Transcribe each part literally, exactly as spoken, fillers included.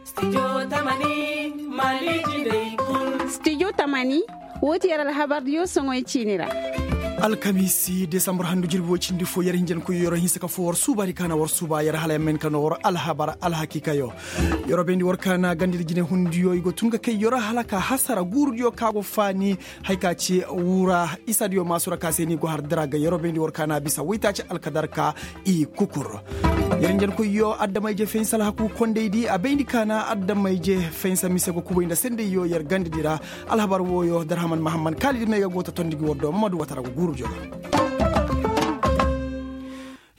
Studio tamani, woo ti yer alhabardiyo soŋoy ciini ra. Alkamiisi desambur handu jirbi woy cindi fo yer hinjankoyyo yer hinsa ka foo war suubaadi ka na war suuba yer hala yer ma hin ka noo war alhabar alhakiikayo. Yer bayndi war ka na gandadi jinehundiyo i go tun ka kay yer hala ka hasara guurudiyo ka go faani. Haya ka ci wura isadiyo maasu ra ka se ni go har dira ga yer bayndi war ka na bisa waytaaci alkadarka. I kukur. Yer hinjankoyyo adama-ije fensa alhaku kondaydi a bayndi ka na adama-ije fensa mise go kubay nda sendayyo yer gandadi ra. Alhabar wooyo darhaman mahamman kaalidi may ga go ta tondi gi war do mamadu watara go guuru joga.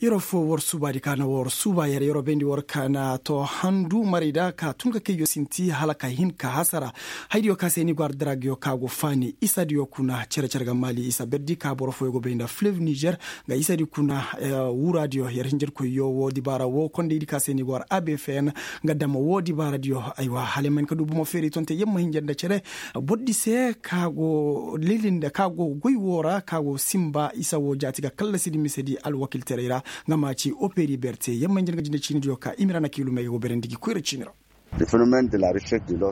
Yeroo foo war suubaadi ka na war suuba yer yeroo bayndi war ka na to handu marayda ka tun ka kayyo sinti hala ka hin ka hasara. Haydiyo ka se ni go har dira ga yo ka go faani isadiyo kuna cere-cere ga maali isa berdi ka boro fooyo go bay nda fleuve niger. Nga isadi kuna wuraadiyo yer hinjirkoyyo woo dibaara woo kondaydi ka se ni go har abfn. Nga dama woo dibaaradiyo aywa hala yer ma hin ka du bomo feeri tonte yer ma hinja nda cere. Bordi se ka go lilin nda ka go goy woo ra ka go sinba isa woo jaati ga kallasidi misedi alwakiltaray ra. Nga ma ci operi berte yer ma hinja nga jinde ciinidiyo ka imira na kiilumey ga go berandi gi koyra ciini ra.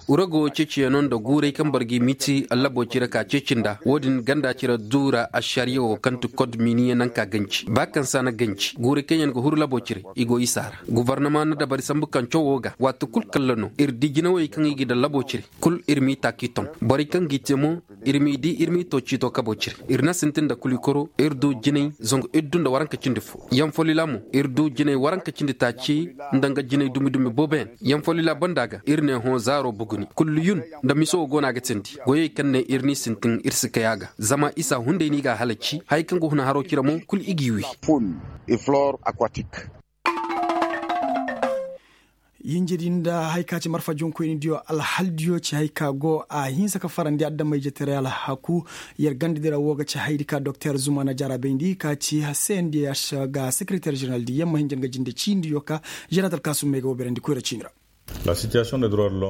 Urago ceeciyaŋo nda guuray kaŋ boro ga i miti allabo cire ka ceeci nda woo din ganda cire duura ašariya woo kaŋ ti kod miniye naŋ ka ganci ba kaŋ se a na ganci guuray kaŋ yaŋ ga huru labo cire i go isa ra. Gobornama na dabari sambu kaŋ cawo ga waati kul kalla no ir di jinawey kaŋ i ga daŋ labo cire kul ir m'i taaki ton borey kaŋ g'i te mo. Ir m'i di ir m'i to ciito kabo cire ir na sintin nda kuli koro ir du jinay zangu ir du nda waranka cindi fo. Yaŋ folila mo ir du jinay waranka cindi taaci nda nga jinay dumi-dumi booboyaŋ. Yaŋ folila banda ga ir ne hõ zaaro buguni kulliyun nda miso wo go no a ga tindi goyey kaŋ ne ir n'i sintin ir si kay a ga zama isa hunday no i g'a halaci haya kaŋ ga huna haro cire mo kul i g'i wi. Yinjedi nda haya ka ci marfa jonkoynidiyo alhaldiyo ci haya ka go a hinsa ka farandi adama-ijetaray alhaku. Yer gandadi ra wo ga ci hayadi ka doktor zuma na jarabayndi ka ci cndh ga sekereter ženeraldi yer ma hinja nga jinde ciinidiyo ka. Ženeratal kaasum may ga wo beerandi koyra ciini ra.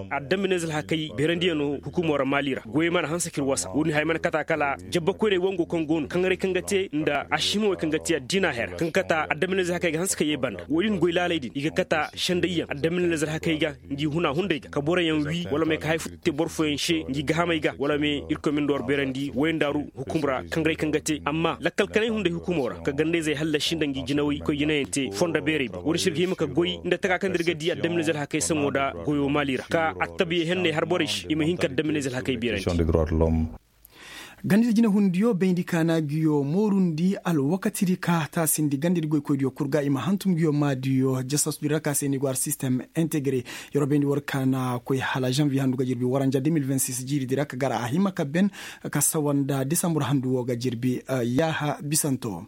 Addaminez alhakey beerandiyaŋo hukumo ra maali ra goyey mana hanse k'ir wasa woodin haya mana kata kala jabbakoyney wango kaŋ go no kaŋ ga te nda ašimawey kaŋ ga te addiina hera kaŋ ga kata addaminez alhakey ga hanse ka yee banda woodin goy laaley din i ga kata sendayyaŋ addaminez alhakey ga. Ngi huna hunday ga ka boroyaŋ wii wala may ka hay fo te boro fooyaŋ se ngi gahamey ga wala may irkoy ma ni nda war beerandi woyandaaru hukum ra kaŋ ga te amma lakkal kanay hunday hukumo ra ka gandayzey hallasi nda ngi jinawey koy jinayaŋ te fondo beerey boŋ woodi se ir ga hima ka goy nda taka kaŋ nda ir ga di addaminez alhakey saŋo nda goyo maali ra ka attabiya henney har borey se i ma hin ka addaminez alhakey beerandi. Gandadi jinahundiyo bayndi ka na ngiyo moorundi alwakatidi ka taasindi gandadi goykoydiyo kul ga i ma hantum ngiyo maadiyo jasasudi ra ka se ni go har sistem integre. Yeroo bayndi war ka na koy hala zanviye handu ga jirbi waranja de mil vingt six jiiridi ra ka gar a hima ka ben ka sawa nda desambur handu wo ga jirbi. Yaaha bisanto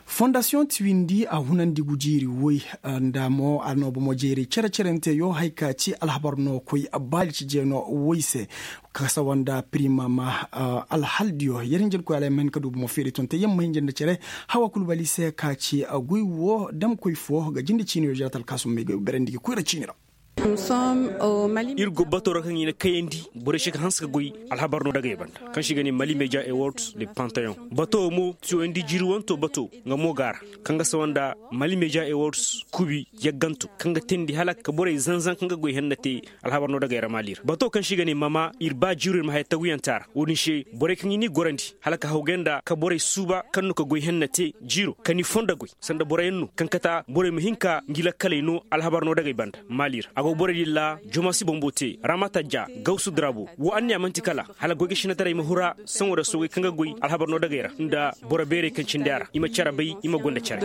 fondasiyoŋ tiwindi a hunandi gujiiri woy nda mo a no bomo jeeri cere-cerenteyo hay ka ci alhabar no koy baali ci jeeno woy se. Ka sawa nda pirimama alhaldiyo yer hinja nda koy alay ma hin ka du bomo feeri tonte yer ma hinja nda cere. Hawa kul bali se ka ci goy wo damkoy fo ga jinde ciiniyo jaratal kaasum may ga berandi ga koyra ciini ra. Ir go bato ra kaŋ i na kayandi borey se ka hanse ka goy alhabar no dagey banda kaŋ se i ga ne mali media awards de pantayon bato mo tiyoyandi jiiri wanto bato nga mo ga a ra kaŋ ga sawa nda mali media awards kubi yagganto kaŋ ga teendi hala ka borey zanzan kaŋ ga goy henna te. Alhabar no dagey ra maali ra bato kaŋ se i ga ne mama ir ba jiiro ir ma haya taguyaŋ te a ra wo-din se borey kaŋ i n'i gorandi hala ka hawgay nda ka borey suuba kaŋ no ka goy henna te jiiro ka ni fondo goy sanda boroyaŋ no kaŋ kata borey ma hin ka ngi lakkaley no alhabar no dagey banda maali ra a go borey din ra jomasi bombo te ramata ja gawsu darabo wo anniya man'ti kala hala goy ga sinataray ma hura saŋo da soogay kaŋ ga goy alhabar no dagey ra nda boro beerey kaŋ cindi a ra i ma care bay i ma gonda care.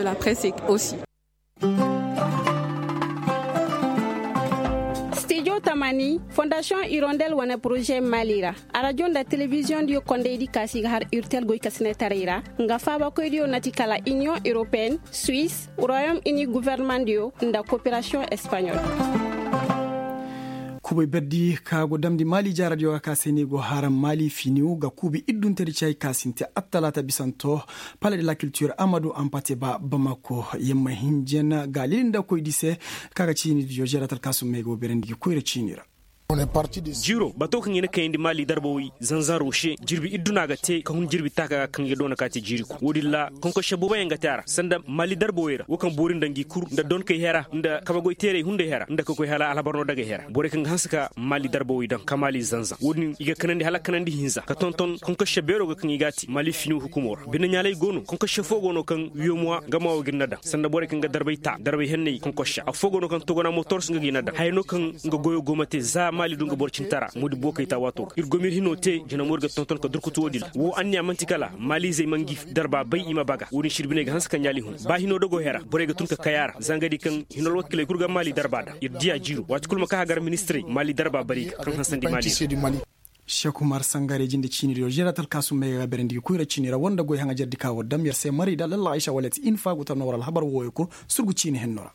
Studio tamani fondasiyoŋ irondel wane poroze maali ra arajo nda telebiziyoŋ diyo kondaydi kaasi ga har urtel goy ka sinataray ra nga faabakoydiyo na ti kala iniyoŋ europeyenne, suisse, royaume uni gouvernementdiyo nda koperasiyoŋ espaɲol. Kubay berdi ka go damndi maali jaaradiyo ga ka se ni go haram maali finiw ga kuubi idduntedi cay ka sinti attalaata bisanto. Pale de la kiltir amadu ampate ba bamako yamma hinjen ga lilinda koydi se. Ka ga ciinidiyo jeeratal kaasum may go beerandi gi koyra ciini ra. Jiiro bato kaŋ i na kayandi maali darbawey zanzan roshe jirbi idduna ga te ka hun jirbi taaka ga kaŋ i ga doona ka te jiiri kul wo-din ra konkosse booboyaŋ ga te a ra sanda maali darbawey ra wo kaŋ boori nda ngi kul nda donkey hera nda kabagoy teerey hunday hera nda ka koy hala alhabar no dagey hera borey kaŋ ga hanse ka maali darbawey daŋ ka maali zanzan wo-din i ga kanandi hala kanandi hinza ka tonton konkosse beero ga kaŋ i g'a te maali finiw hukumo ra bine ɲaalay go no konkosse fo go no kaŋ wiyomuwa gama wo ga ir na daŋ sanda borey kaŋ ga darbay ta darbay henney konkosse affoo go no kaŋ togona motor si nga ga i na daŋ haya no kaŋ nga goyo go ma te za maali du nga boro cintara moodi bookay ta waato ga ir go ma ir hino te jina moori ga tonton ka durkutu wo-din ra woo anniya man'ti kala maaliizey ma ngi darba bay i ma baga wo-din sirbiney ga hanse ka ɲaali hun ba hino dogo hera borey ga tun ka kay a ra za nga di kaŋ hino alwakiley kul ga maali darba daŋ ir diya jiiro waati kul ma ka hagar ministirey maali darba bari ga kaŋ hansandi maali ra seeku mar sangarey jinde ciini diyo zeeratal kaasum may ga berandi ga koyra ciini ra woo nda goy haŋajerdi ka war dam yer se marayda lalla aysa wala ti infa go ta noo war alhabar wooyo kul surgu ciini henno ra